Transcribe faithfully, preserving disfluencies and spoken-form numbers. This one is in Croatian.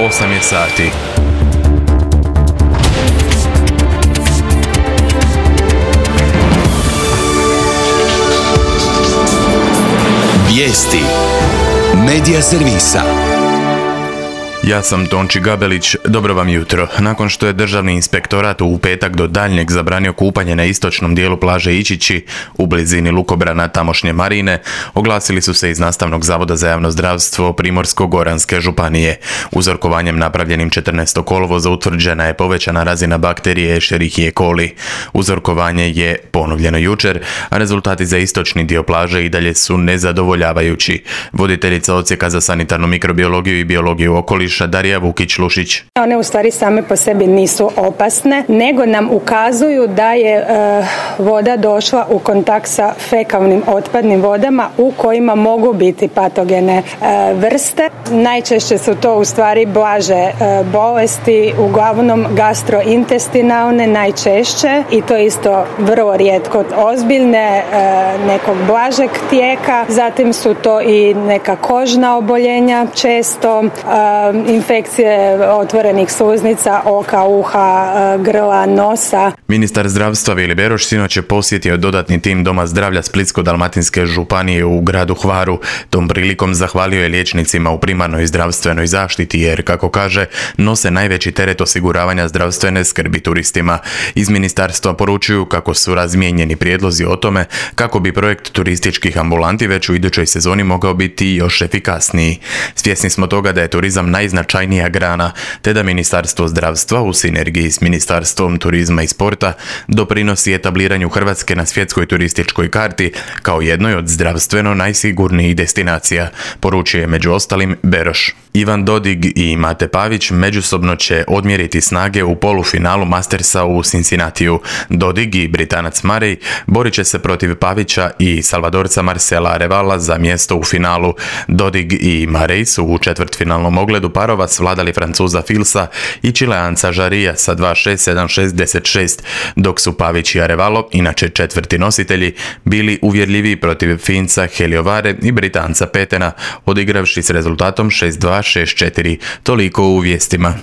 osam je sati. Vijesti Medija servisa. Ja sam Tonči Gabelić, dobro vam jutro. Nakon što je Državni inspektorat u petak do daljnjeg zabranio kupanje na istočnom dijelu plaže Ičići u blizini lukobrana tamošnje marine, oglasili su se iz Nastavnog zavoda za javno zdravstvo Primorsko-goranske županije. Uzorkovanjem napravljenim četrnaestog kolovoza utvrđena je povećana razina bakterije Escherichia coli. Uzorkovanje je ponovljeno jučer, a rezultati za istočni dio plaže i dalje su nezadovoljavajući. Voditeljica odsjeka za sanitarnu mikrobiologiju i biologiju okoliša Darija Vukić-Lušić. One u stvari same po sebi nisu opasne, nego nam ukazuju da je e, voda došla u kontakt sa fekalnim otpadnim vodama u kojima mogu biti patogene e, vrste. Najčešće su to u stvari blaže e, bolesti, uglavnom gastrointestinalne najčešće i to isto vrlo rijetko ozbiljne, e, nekog blažeg tijeka. Zatim su to i neka kožna oboljenja često, e, infekcije otvorenih sluznica, oka, uha, grla, nosa. Ministar zdravstva Vili Beroš sinoć je posjetio dodatni tim Doma zdravlja Splitsko-dalmatinske županije u gradu Hvaru. Tom prilikom zahvalio je liječnicima u primarnoj zdravstvenoj zaštiti jer, kako kaže, nose najveći teret osiguravanja zdravstvene skrbi turistima. Iz ministarstva poručuju kako su razmijenjeni prijedlozi o tome kako bi projekt turističkih ambulanti već u idućoj sezoni mogao biti još efikasniji. Svjesni smo toga da je turizam najznačajnija grana, te da Ministarstvo zdravstva u sinergiji s Ministarstvom turizma i sporta doprinosi etabliranju Hrvatske na svjetskoj turističkoj karti kao jednoj od zdravstveno najsigurnijih destinacija, poručuje je među ostalim Beroš. Ivan Dodig i Mate Pavić međusobno će odmjeriti snage u polufinalu Mastersa u Cincinnatiju. Dodig i Britanac Murray borit će se protiv Pavića i Salvadorca Marcela Arevala za mjesto u finalu. Dodig i Murray su u četvrtfinalnom ogledu parova svladali Francuza Filsa i Čileanca Žarija sa dva šest, sedam šest, deset šest, dok su Pavić i Arevalo, inače četvrti nositelji, bili uvjerljiviji protiv Finca Heliovare i Britanca Petena, odigravši s rezultatom šest dva, šest četiri. Toliko u vijestima.